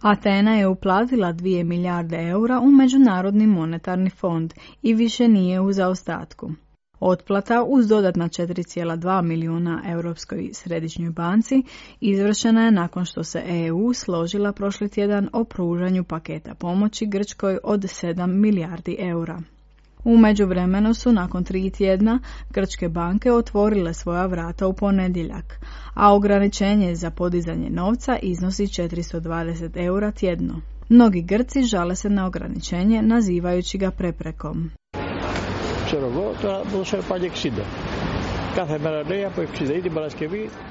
Atena je uplatila 2 milijarde eura u Međunarodni monetarni fond i više nije u zaostatku. Otplata uz dodatna 4,2 milijuna Europskoj središnjoj banci izvršena je nakon što se EU složila prošli tjedan o pružanju paketa pomoći Grčkoj od 7 milijardi eura. U međuvremenu su nakon 3 tjedna grčke banke otvorile svoja vrata u ponedjeljak, a ograničenje za podizanje novca iznosi 420 eura tjedno. Mnogi Grci žale se na ograničenje nazivajući ga preprekom.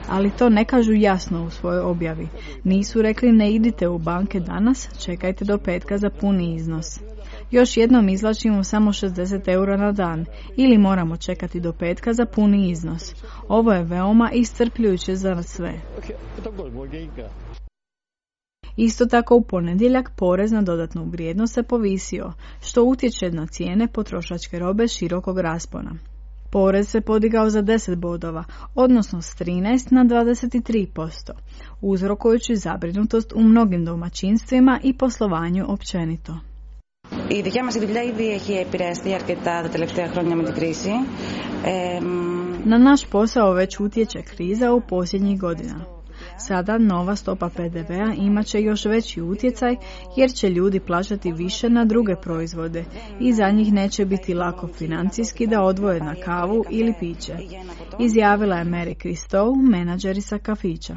Ali to ne kažu jasno u svojoj objavi. Nisu rekli ne idite u banke danas, čekajte do petka za puni iznos. Još jednom izvlačimo samo 60 eura na dan ili moramo čekati do petka za puni iznos. Ovo je veoma iscrpljujuće za sve. Isto tako u ponedjeljak porez na dodatnu vrijednost se povisio, što utječe na cijene potrošačke robe širokog raspona. Porez se podigao za 10 bodova, odnosno s 13 na 23%, uzrokujući zabrinutost u mnogim domaćinstvima i poslovanju općenito. Η δικιά μας δουλειά ήδη έχει επηρεαστεί αρκετά τα τελευταία χρόνια με την κρίση. Na naš posao već utječe kriza u posljednjih godina. Sada nova stopa PDV-a imat će još veći utjecaj jer će ljudi plaćati više na druge proizvode i za njih neće biti lako financijski da odvoje na kavu ili piće, izjavila je Mary Christou, menadžerica kafića.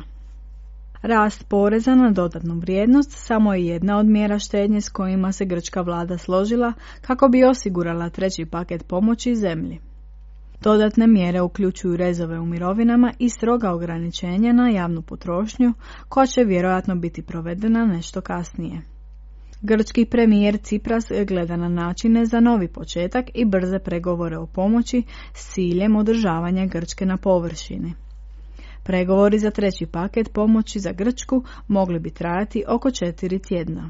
Rast poreza na dodatnu vrijednost samo je jedna od mjera štednje s kojima se grčka vlada složila kako bi osigurala treći paket pomoći zemlji. Dodatne mjere uključuju rezove u mirovinama i stroga ograničenja na javnu potrošnju, koja će vjerojatno biti provedena nešto kasnije. Grčki premijer Tsipras gleda na načine za novi početak i brze pregovore o pomoći s ciljem održavanja Grčke na površini. Pregovori za treći paket pomoći za Grčku mogli bi trajati oko 4 tjedna.